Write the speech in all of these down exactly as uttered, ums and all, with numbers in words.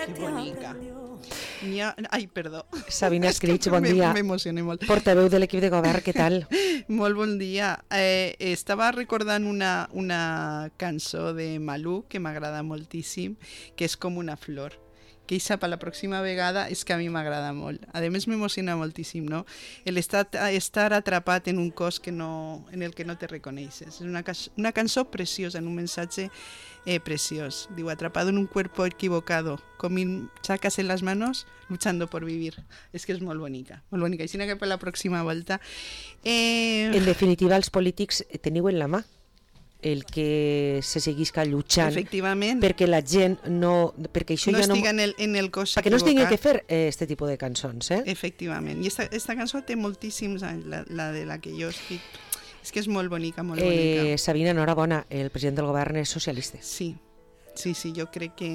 Que bonica. Ha... Ai, perdó. Sabina Escrig, bon dia. M'emocioné molt. Portaveu de l'equip de govern, què tal? Molt bon dia. Eh, estava recordant una, una cançó de Malú que m'agrada moltíssim, que és com una flor. Que eixa per la pròxima vegada és que a mi m'agrada molt. A més m'emociona moltíssim, no? El estat, estar atrapat en un cos que no, en el que no te reconeixes. És una, una cançó preciosa, en un missatge eh, preciós. Diu, atrapado en un cuerpo equivocado, con mil chacas en las manos, luchando por vivir. És que és molt bonica, molt bonica. Així que per la pròxima volta... Eh... En definitiva, els polítics teniu en la mà el que se seguisca luchant perquè la gent no... Perquè això no ja no estiga en el, en el cos perquè no es tingui que fer eh, este tipus de cançons, eh? Efectivament. I esta, esta cançó té moltíssims anys, la, la de la que jo estic... És que és molt bonica, molt eh, bonica. Sabina, enhorabona, el president del govern és socialista. Sí, sí, sí, jo crec que...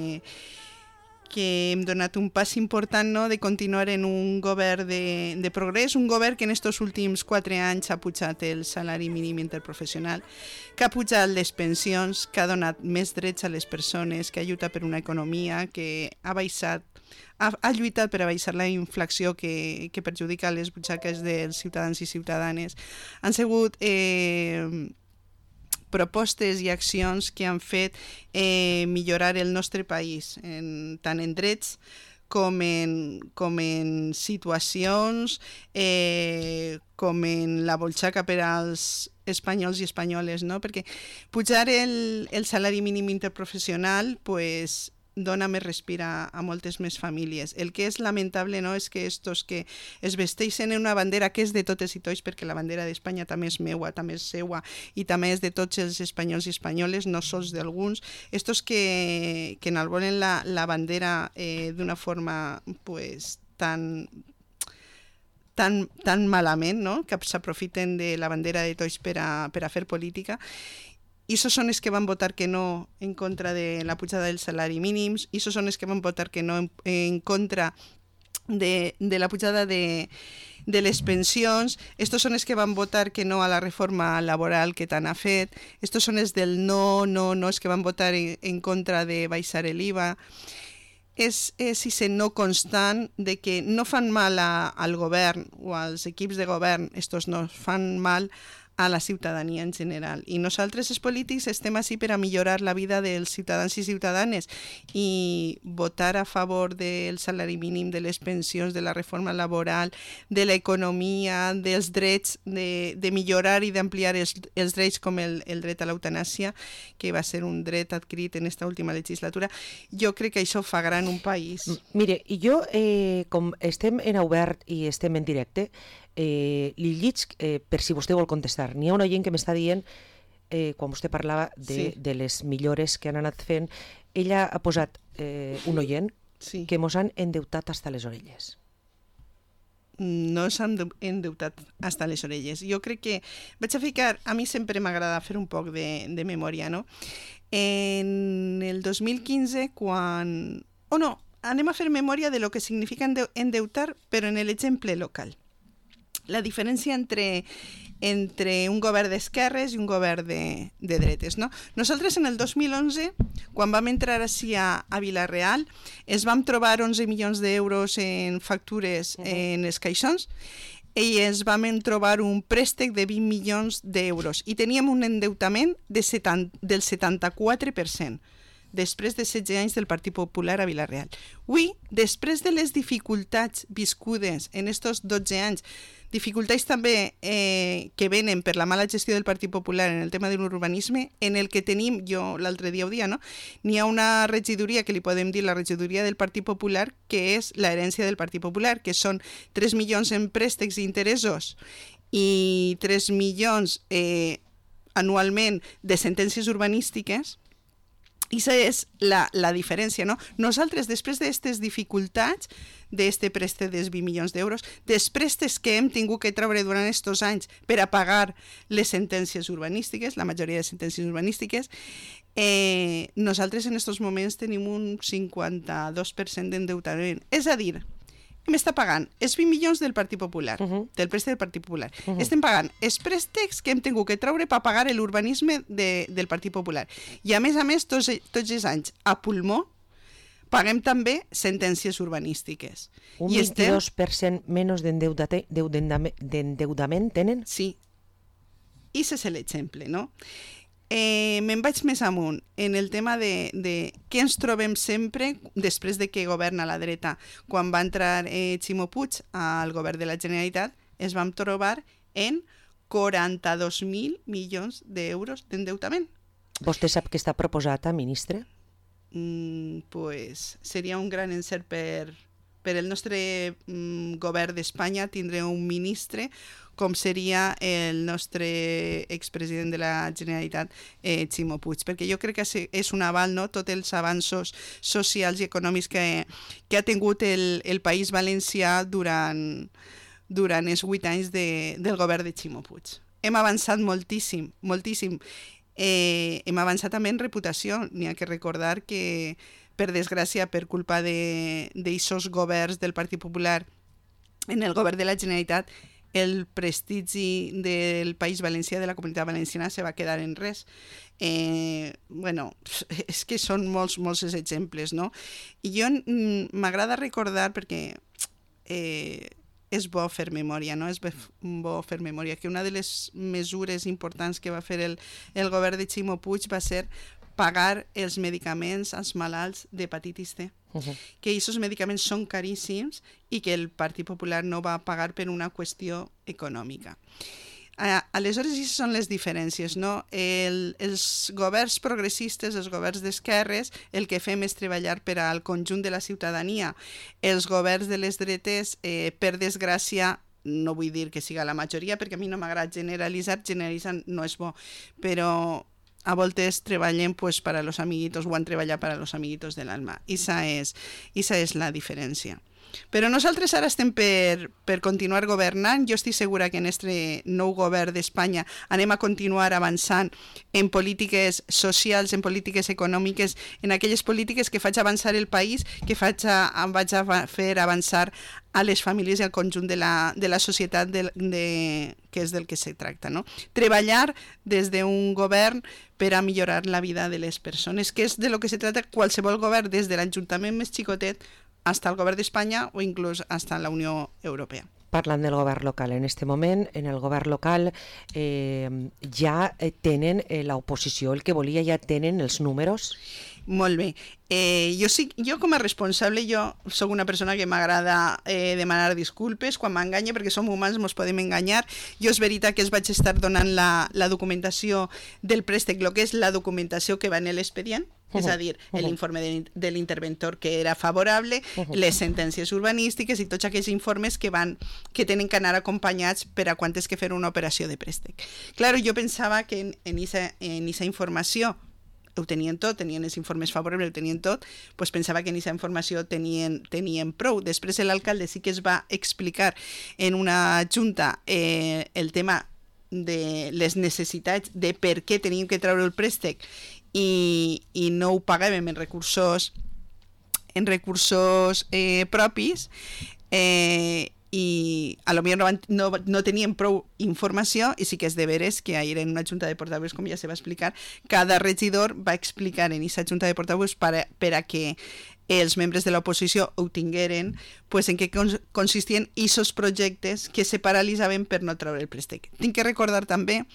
que hem donat un pas important, no?, de continuar en un govern de, de progrés, un govern que en estos últims quatre anys ha pujat el salari mínim interprofessional, que ha pujat les pensions, que ha donat més drets a les persones, que ha lluitat per una economia, que ha baixat, ha, ha lluitat per a baixar la inflació que, que perjudica les butxaques dels ciutadans i ciutadanes. Han sigut... Eh, propostes i accions que han fet eh, millorar el nostre país, en, tant en drets com en, com en situacions, eh, com en la bolxaca per als espanyols i espanyoles, no? Perquè pujar el, el salari mínim interprofessional pues, dona més respir a, a moltes més famílies. El que és lamentable, no?, és que estos que es vesteixen en una bandera que és de totes i tots, perquè la bandera d'Espanya també és meua, també és seua, i també és de tots els espanyols i espanyoles, no sols d'alguns, estos que, que enalboren la, la bandera eh, d'una forma pues, tan... tan, tan malament, no?, que s'aprofiten de la bandera de tots per a, per a fer política. I això són els que van votar que no en contra de la pujada del salari mínim, i això són els que van votar que no en, en contra de, de la pujada de, de les pensions, estos són els que van votar que no a la reforma laboral que tant ha fet, estos són els del no, no, no, els que van votar en, en contra de baixar l'I V A. És ese no constant de que no fan mal a, al govern o als equips de govern, estos no fan mal a la ciutadania en general. I nosaltres, els polítics, estem així per a millorar la vida dels ciutadans i ciutadanes i votar a favor del salari mínim, de les pensions, de la reforma laboral, de l'economia, dels drets, de, de millorar i d'ampliar els, els drets com el, el dret a l'eutanàsia, que va ser un dret adquirit en esta última legislatura. Jo crec que això fa gran un país. Mire, i jo, eh, com estem en obert i estem en directe, Eh, li lliig eh, per si vostè vol contestar. N'hi ha una gent que m'està dient, eh, quan vostè parlava de, sí. de les millores que han anat fent, ella ha posat eh, un oient sí. que mos han endeutat hasta les orelles. No s'han endeutat hasta les orelles. Jo crec que vaig a ficar, a mi sempre m'agrada fer un poc de, de memòria, no? En el dos mil quinze, quan... O oh, no, anem a fer memòria de lo que significa endeutar, però en l'exemple local. La diferència entre, entre un govern d'esquerres i un govern de, de dretes, no? Nosaltres en el dos mil onze, quan vam entrar així a, a Vila-real, es vam trobar onze milions d'euros en factures uh-huh. en els caixons i es vam trobar un préstec de vint milions d'euros i teníem un endeutament de setanta, del setanta-quatre per cent. Després de setze anys del Partit Popular a Vila-real. Avui, després de les dificultats viscudes en aquests dotze anys, dificultats també eh, que venen per la mala gestió del Partit Popular en el tema de l'urbanisme, en el que tenim, jo l'altre dia ho dia, no? N'hi ha una regidoria que li podem dir la regidoria del Partit Popular, que és l'herència del Partit Popular, que són tres milions en préstecs i interessos i tres milions eh, anualment de sentències urbanístiques. I això és la, la diferència, no? Nosaltres, després d'aquestes dificultats, d'aquest préstec dels vint milions d'euros, dels préstecs que hem tingut que treure durant aquests anys per a pagar les sentències urbanístiques, la majoria de sentències urbanístiques, eh, nosaltres en aquests moments tenim un cinquanta-dos per cent d'endeutament. És a dir, m'està pagant els vint milions del Partit Popular, uh-huh. del préstec del Partit Popular. Uh-huh. Estem pagant els préstecs que hem tingut que treure per pagar l'urbanisme de, del Partit Popular. I a més a més, tots, tots els anys, a pulmó, paguem també sentències urbanístiques. Un I vint-i-dos per cent menys d'endeudament tenen? Sí. I ese és l'exemple, no? Eh, me'n vaig més amunt en el tema de, de què ens trobem sempre després de que governa la dreta. Quan va entrar eh, Ximo Puig al govern de la Generalitat, es vam trobar en quaranta-dos mil milions d'euros d'endeutament. Vostè sap què està proposat a ministre? Mm, pues seria un gran encert per, per el nostre mm, govern d'Espanya tindre un ministre com seria el nostre expresident de la Generalitat, eh, Ximo Puig, perquè jo crec que és un aval, no?, tots els avanços socials i econòmics que, que ha tingut el, el País Valencià durant, durant els vuit anys de, del govern de Ximo Puig. Hem avançat moltíssim, moltíssim. Eh, hem avançat també en reputació. N'hi ha que recordar que, per desgràcia, per culpa d'aixòs governs del Partit Popular en el govern de la Generalitat, el prestigi del País Valencià, de la Comunitat Valenciana, se va quedar en res. Eh, bueno, és que són molts, molts exemples, no? I jo m'agrada recordar, perquè eh, és bo fer memòria, no? És bo fer memòria, que una de les mesures importants que va fer el, el govern de Ximo Puig va ser pagar els medicaments als malalts d'hepatitis C. Uh-huh. Que aquests medicaments són caríssims i que el Partit Popular no va pagar per una qüestió econòmica. Uh, aleshores, aquestes són les diferències, no? El, els governs progressistes, els governs d'esquerres, el que fem és treballar per al conjunt de la ciutadania. Els governs de les dretes, eh, per desgràcia, no vull dir que siga la majoria, perquè a mi no m'agrada generalitzar, generalitzar no és bo, però a voltes treballem pues, para los amiguitos o han treballat para los amiguitos de l'alma. Esa és, esa és la diferència. Però nosaltres ara estem per, per continuar governant. Jo estic segura que en este nou govern d'Espanya anem a continuar avançant en polítiques socials, en polítiques econòmiques, en aquelles polítiques que faig avançar el país, que faig a, vaig a fer avançar a les famílies i al conjunt de la, de la societat de, de, que és del que se tracta, no? Treballar des d'un govern per a millorar la vida de les persones, que és de lo que se trata qualsevol govern, des de l'Ajuntament més xicotet hasta el govern d'Espanya o inclús hasta la Unió Europea. Parlant del govern local, en aquest moment, en el govern local eh, ja tenen eh, l'oposició, el que volia, ja tenen els números? Molt bé. Eh, jo, sí, jo com a responsable, jo sóc una persona que m'agrada eh, demanar disculpes quan m'enganya, perquè som humans, ens podem enganyar. Jo és veritat que es vaig estar donant la, la documentació del préstec, el que és la documentació que va en l'expedient, uh-huh. és a dir, uh-huh. l'informe de, de l'interventor que era favorable, uh-huh. les sentències urbanístiques i tots aquells informes que van que tenen que anar acompanyats per a quan és que fer una operació de préstec. Claro, jo pensava que en, en, esa, en esa informació ho tenien tot, tenien els informes favorables, ho tenien tot, doncs pensava que en aquesta informació tenien, tenien prou. Després l'alcalde sí que es va explicar en una junta eh, el tema de les necessitats de per què teníem que treure el préstec i, i no ho pagàvem en recursos, en recursos eh, propis, eh, i a lo millor no, van, no, no tenien prou informació i sí que és de veres que ahir en una junta de portaveus, com ja se va explicar, cada regidor va explicar en aquesta junta de portaveus per a, per a que els membres de l'oposició ho tingueren, pues, en què consistien aquests projectes que se paralitzaven per no treure el préstec. Tinc que recordar també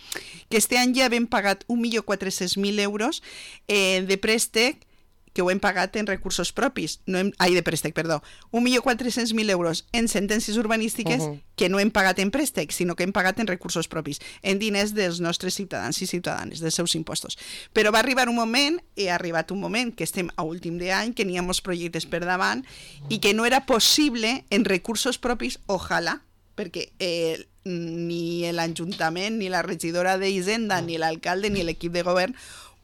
que este any ja hem pagat un milió quatre-cents mil euros eh, de préstec que ho hem pagat en recursos propis, no hem, ai, de préstec, perdó, un milió quatre-cents mil euros en sentències urbanístiques uh-huh. que no hem pagat en préstec, sinó que hem pagat en recursos propis, en diners dels nostres ciutadans i ciutadanes, dels seus impostos. Però va arribar un moment, i ha arribat un moment, que estem a últim d'any, que n'hi ha molts projectes per davant, i que no era possible en recursos propis, ojalà, perquè eh, ni l'Ajuntament, ni la regidora d'Hisenda, ni l'alcalde, ni l'equip de govern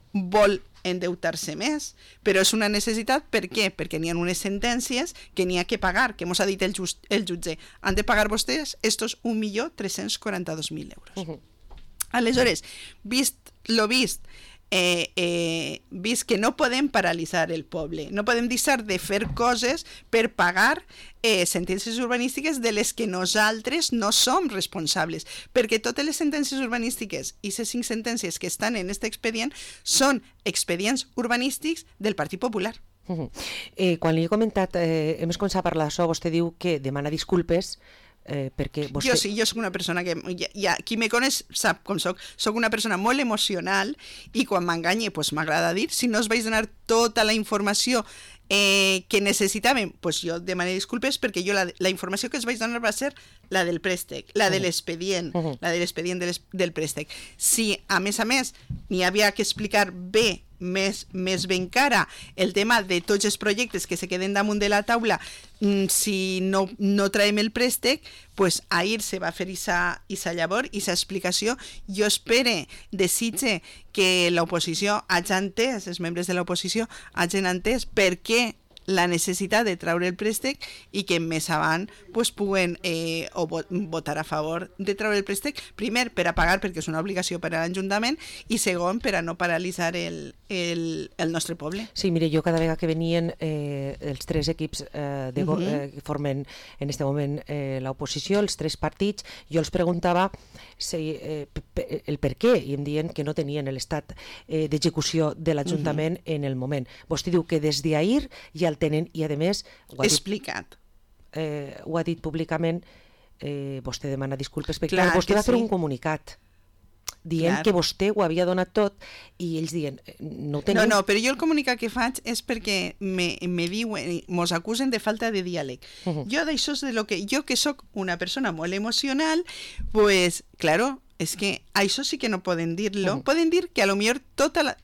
vol endeutar-se més, però és una necessitat. Per què? Perquè n'hi ha unes sentències que n'hi ha que pagar, que mos ha dit el, just, el jutge. Han de pagar vostès estos un milió tres-cents quaranta-dos mil euros. Uh-huh. Aleshores, vist lo vist, eh, eh, vist que no podem paralitzar el poble, no podem deixar de fer coses per pagar eh, sentències urbanístiques de les que nosaltres no som responsables, perquè totes les sentències urbanístiques i les cinc sentències que estan en aquest expedient són expedients urbanístics del Partit Popular. Uh -huh. eh, quan li he comentat, eh, hem començat a parlar d'això, vostè diu que demana disculpes eh, perquè vostè... Jo sí, jo soc una persona que... Ja, ja, qui me coneix sap com soc. Soc una persona molt emocional i quan m'enganye pues, m'agrada dir, si no us vaig donar tota la informació eh, que necessitàvem, pues jo demanaré disculpes perquè jo la, la informació que us vaig donar va ser la del préstec, la de l'expedient, uh -huh. la de l'expedient de del préstec. Si, a més a més, n'hi havia que explicar bé més, més ben cara el tema de tots els projectes que se queden damunt de la taula si no, no traiem el préstec, pues ahir se va fer aquesta llavor, aquesta explicació. Jo espere, desitge que l'oposició hagi entès, els membres de l'oposició hagin entès per què la necessitat de treure el préstec i que més avant pues, puguen eh, o votar a favor de treure el préstec, primer per a pagar perquè és una obligació per a l'Ajuntament i segon per a no paralitzar el, el, el nostre poble. Sí, mire, jo cada vegada que venien eh, els tres equips eh, de, uh -huh. eh, que formen en este moment eh, l'oposició, els tres partits, jo els preguntava si, eh, el per què i em diuen que no tenien l'estat eh, d'execució de l'Ajuntament uh -huh. en el moment. Vostè diu que des d'ahir ja el tenen i a més ho ha dit, explicat eh, ho ha dit públicament. eh, vostè demana disculpes perquè clar, clar, vostè va sí. fer un comunicat dient clar. que vostè ho havia donat tot i ells diuen no ho teniu. No, no, però jo el comunicat que faig és perquè me, me diuen, mos acusen de falta de diàleg. Uh -huh. Jo d'això és de lo que, jo que sóc una persona molt emocional, pues, claro, és que això sí que no poden dir-lo. Uh -huh. Poden dir que a lo millor tota la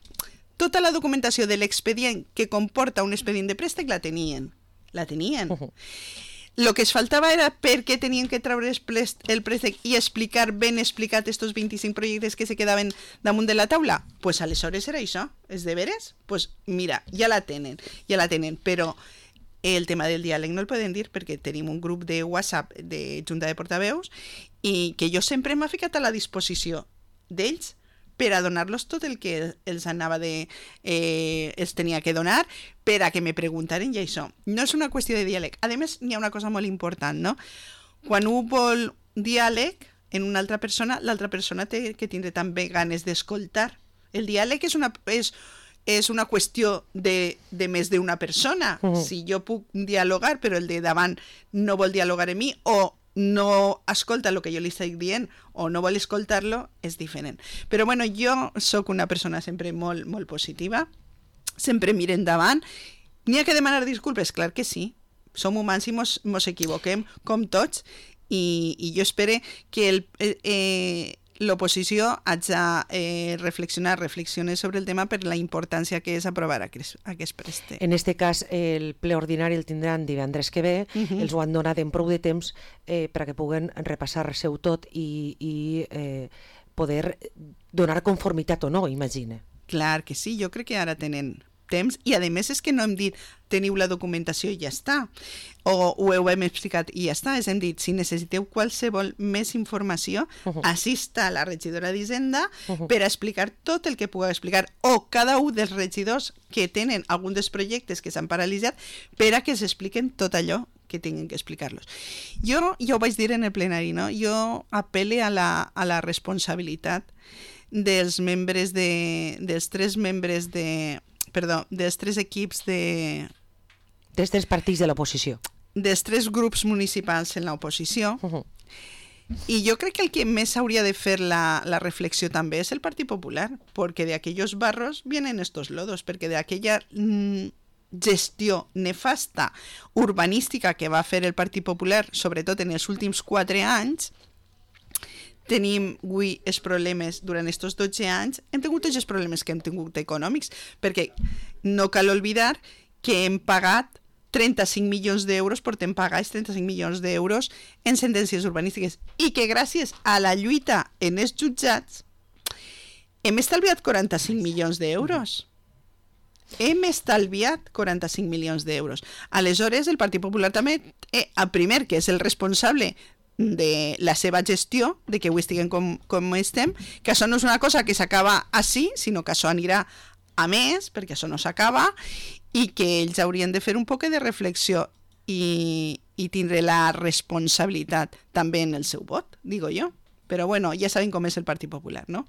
Tota la documentació de l'expedient que comporta un expedient de préstec la tenien. La tenien. Uh -huh. Lo que es faltava era per què tenien que treure el préstec i explicar ben explicat estos vint-i-cinc projectes que se quedaven damunt de la taula. Pues aleshores era això. És de veres? Pues mira, ja la tenen. Ja la tenen, però el tema del diàleg no el poden dir perquè tenim un grup de WhatsApp de Junta de Portaveus i que jo sempre m'ha ficat a la disposició d'ells per a donar-los tot el que els anava de... Eh, els tenia que donar, per a que me preguntaren i això. No és una qüestió de diàleg. A més, hi ha una cosa molt important, no? Quan un vol diàleg en una altra persona, l'altra persona té que tindre també ganes d'escoltar. El diàleg és una... És, és una qüestió de, de més d'una persona. Uh -huh. Si jo puc dialogar, però el de davant no vol dialogar amb mi, o no escolta el que jo li estic dient o no vol escoltar-lo, és diferent. Però bueno, jo sóc una persona sempre molt, molt positiva, sempre miro endavant. N'hi ha que demanar disculpes? Clar que sí. Som humans i mos, mos equivoquem, com tots, i, i jo espero que el, eh, l'oposició hagi de eh, reflexionar, reflexionar sobre el tema per la importància que és aprovar aquest, aquest préstec. En aquest cas, el ple ordinari el tindran divendres que ve, uh -huh. els ho han donat en prou de temps eh, perquè puguen repassar-se-ho tot i, i eh, poder donar conformitat o no, imagina. Clar que sí, jo crec que ara tenen temps i a més és que no hem dit teniu la documentació i ja està, o ho hem explicat i ja està, és hem dit si necessiteu qualsevol més informació, uh -huh. així està la regidora d'Hisenda uh -huh. per a explicar tot el que pugui explicar, o cada un dels regidors que tenen algun dels projectes que s'han paralitzat per a que s'expliquen tot allò que tinguin que explicar-los. Jo, ja ho vaig dir en el plenari, no? Jo apel·le a la, a la responsabilitat dels membres de, dels tres membres de perdó, dels tres equips de... Dels tres partits de l'oposició. Dels tres grups municipals en l'oposició. Uh -huh. I jo crec que el que més hauria de fer la, la reflexió també és el Partit Popular, perquè de aquellos barros vienen estos lodos, perquè de aquella mm, gestió nefasta urbanística que va fer el Partit Popular, sobretot en els últims quatre anys, tenim avui els problemes durant aquests dotze anys, hem tingut tots els problemes que hem tingut econòmics, perquè no cal oblidar que hem pagat trenta-cinc milions d'euros, portem pagats trenta-cinc milions d'euros en sentències urbanístiques, i que gràcies a la lluita en els jutjats hem estalviat quaranta-cinc milions d'euros. Hem estalviat quaranta-cinc milions d'euros. Aleshores, el Partit Popular també, eh, el primer, que és el responsable de la seva gestió, de que avui estiguem com, com estem, que això no és una cosa que s'acaba així, sinó que això anirà a més, perquè això no s'acaba, i que ells haurien de fer un poc de reflexió i, i tindre la responsabilitat també en el seu vot, digo jo. Però bueno, ja sabem com és el Partit Popular, no?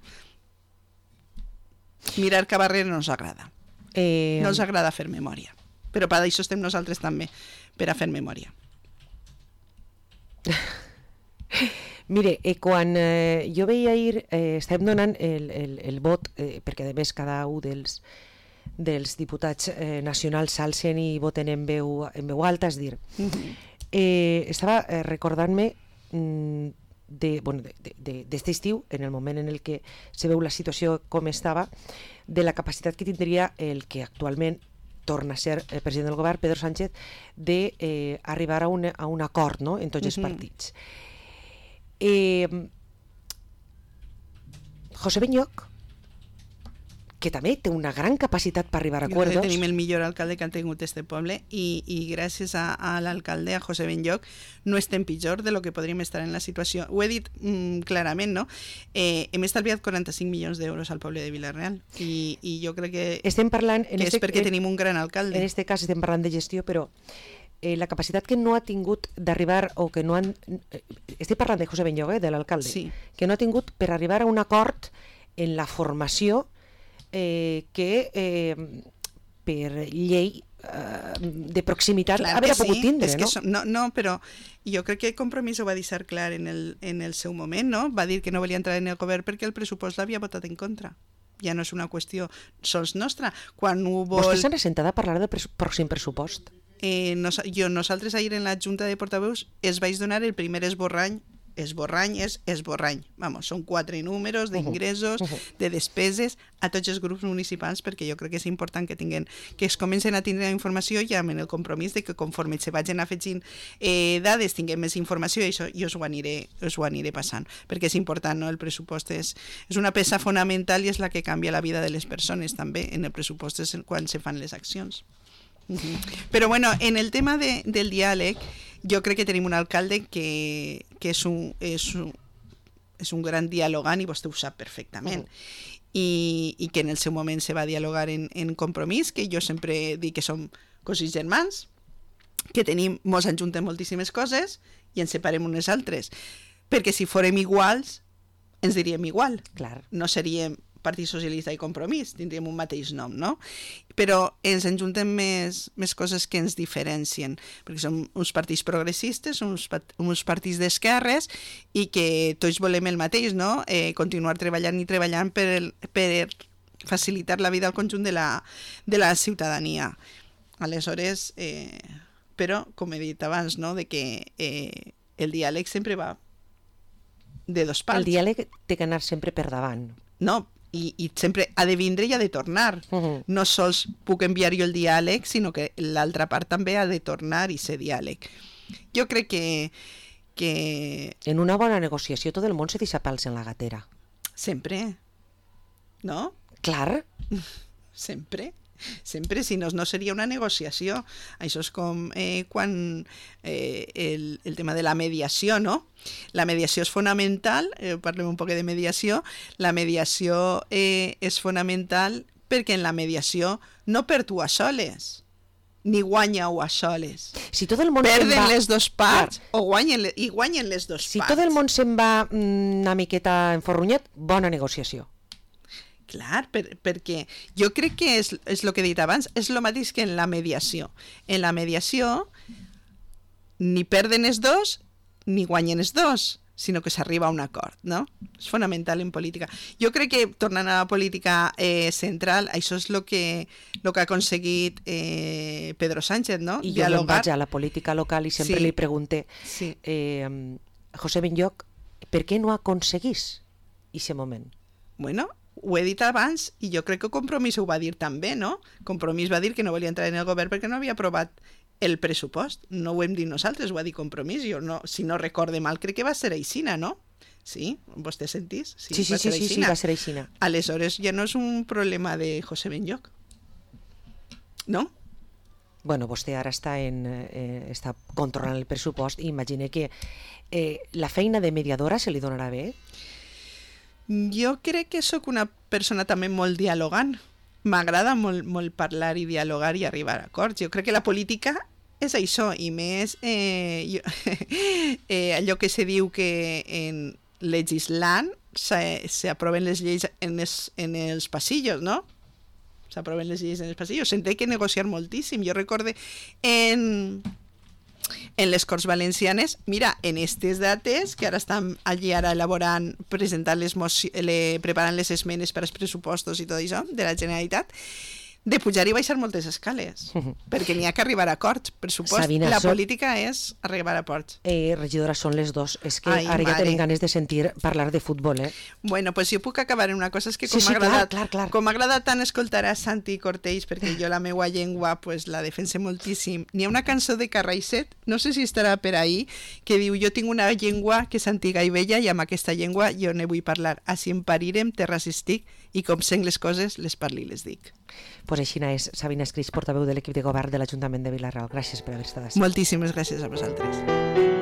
Mirar cap arrere no ens agrada. Eh... No ens agrada fer memòria. Però per això estem nosaltres també, per a fer memòria. Mire, eh, quan eh, jo veia ahir, eh, estàvem donant el, el, el vot, eh, perquè a més cada un dels, dels diputats eh, nacionals s'alcen i voten en veu, en veu alta, és dir, uh-huh. eh, estava eh, recordant-me mm, de, bueno, d'este de, de, estiu, en el moment en el que se veu la situació com estava, de la capacitat que tindria el que actualment torna a ser el president del govern, Pedro Sánchez, d'arribar eh, a, un, a un acord, no?, en tots els uh-huh. partits. Eh, José Benlloch, que també té una gran capacitat per arribar a acords. Tenim el millor alcalde que ha tingut este poble i, i gràcies a, a l'alcalde, a José Benlloch, no estem pitjor de lo que podríem estar en la situació. Ho he dit mm, clarament, no? Eh, hem estalviat quaranta-cinc milions d'euros al poble de Vila-real i, i jo crec que, estem parlant, en que este, és perquè en, tenim un gran alcalde. En aquest cas estem parlant de gestió, però eh, la capacitat que no ha tingut d'arribar, o que no han... Eh, estic parlant de José Benlloch, eh, de l'alcalde, sí. que no ha tingut per arribar a un acord en la formació eh, que eh, per llei eh, de proximitat clar haver sí. pogut tindre, és no? Que som, no? No, però jo crec que Compromís ho va deixar clar en el, en el seu moment, no? Va dir que no volia entrar en el govern perquè el pressupost l'havia votat en contra. Ja no és una qüestió sols nostra. Quan ho vol... Vostè s'ha assentat a parlar del pres pròxim pressupost? Eh, nos, jo, nosaltres ahir en la Junta de Portaveus es vaig donar el primer esborrany. Esborrany és esborrany. Vamos, són quatre números d'ingressos, uh -huh. de despeses a tots els grups municipals, perquè jo crec que és important que tinguen, que es comencen a tindre la informació ja amb el compromís de que conforme se vagin afegint eh, dades tinguem més informació i això jo us ho aniré, us ho aniré passant, perquè és important, no? El pressupost és, és una peça fonamental i és la que canvia la vida de les persones també. En el pressupost és quan se fan les accions. Uh-huh. Però bueno, en el tema de, del diàleg, jo crec que tenim un alcalde que, que és, un, és, un, és un gran dialogant i vostè ho sap perfectament. Uh-huh. I, i que en el seu moment se va dialogar en, en Compromís, que jo sempre dic que som cosins germans, que tenim, mos enjuntem moltíssimes coses i ens separem unes altres. Perquè si fórem iguals, ens diríem igual. Clar. No seríem Partit Socialista i Compromís, tindríem un mateix nom, no? Però ens enjuntem més, més coses que ens diferencien, perquè som uns partits progressistes, uns, uns partits d'esquerres i que tots volem el mateix, no? Eh, continuar treballant i treballant per, el, per facilitar la vida al conjunt de la, de la ciutadania. Aleshores, eh, però, com he dit abans, no? De que eh, el diàleg sempre va de dos parts. El diàleg té que anar sempre per davant. No, I, i sempre ha de vindre i ha de tornar. Uh-huh. No sols puc enviar jo el diàleg, sinó que l'altra part també ha de tornar i ser diàleg. Jo crec que, que... En una bona negociació tot el món se deixa pals en la gatera. Sempre. No? Clar. Sempre. Sempre, si no, no seria una negociació. Això és com eh, quan eh, el, el tema de la mediació, no? La mediació és fonamental, eh, parlem un poc de mediació, la mediació eh, és fonamental perquè en la mediació no per tu a soles, ni guanya-ho a soles. Si tot el món perden va... les dues parts o guanyen, i guanyen les dues si parts. Si tot el món se'n va una miqueta enforrunyat, bona negociació. Clar, per, perquè jo crec que és, és el que he dit abans, és el mateix que en la mediació. En la mediació ni perden els dos ni guanyen els dos, sinó que s'arriba a un acord, no? És fonamental en política. Jo crec que, tornant a la política eh, central, això és el que, lo que ha aconseguit eh, Pedro Sánchez, no? I jo me'n vaig a la política local i sempre sí. li pregunté sí. eh, José Benlloch, per què no aconseguís aquest moment? Bueno, ho he dit abans i jo crec que Compromís ho va dir també, no? Compromís va dir que no volia entrar en el govern perquè no havia aprovat el pressupost. No ho hem dit nosaltres, ho ha dit Compromís. Jo no, si no recorde mal, crec que va ser aixina, no? Sí? Vostè sentís? Sí, sí, sí, sí, sí, va ser aixina. Aleshores ja no és un problema de José Benlloch, no? Bueno, vostè ara està, en, eh, està controlant el pressupost i imagine que eh, la feina de mediadora se li donarà bé? Jo crec que sóc una persona també molt dialogant. M'agrada molt, molt parlar i dialogar i arribar a acords. Jo crec que la política és això, i més eh, jo, eh, allò que se diu que en legislant s'aproven les lleis en els, en els passillos, no? s'aproven les lleis en els passillos, se'n té que negociar moltíssim. Jo recorde en... en les Corts Valencianes, mira, en aquestes dates, que ara estan allí ara elaborant, presentant les mocions, le, preparant les esmenes per als pressupostos i tot això, de la Generalitat, de pujar i baixar moltes escales, uh-huh. perquè n'hi ha que arribar a acords, per supost. Sabina, la política són... és arribar a acords. Eh, regidora, són les dos. És que Ai, ara mare. ja tenim ganes de sentir parlar de futbol, eh? Bueno, pues jo puc acabar en una cosa, és que com sí, sí, m'ha agradat, clar, clar, clar. com m'ha agradat tant escoltar a Santi Cortells, perquè jo la meua llengua pues, la defense moltíssim. N'hi ha una cançó de Carraixet, no sé si estarà per ahí, que diu, jo tinc una llengua que és antiga i vella i amb aquesta llengua jo ne vull parlar. Així em parirem, terres estic, i com sent les coses, les parli i les dic. Pues així és, Sabina Escris, portaveu de l'equip de govern de l'Ajuntament de Vila-real. Gràcies per haver estat així. Moltíssimes gràcies a vosaltres.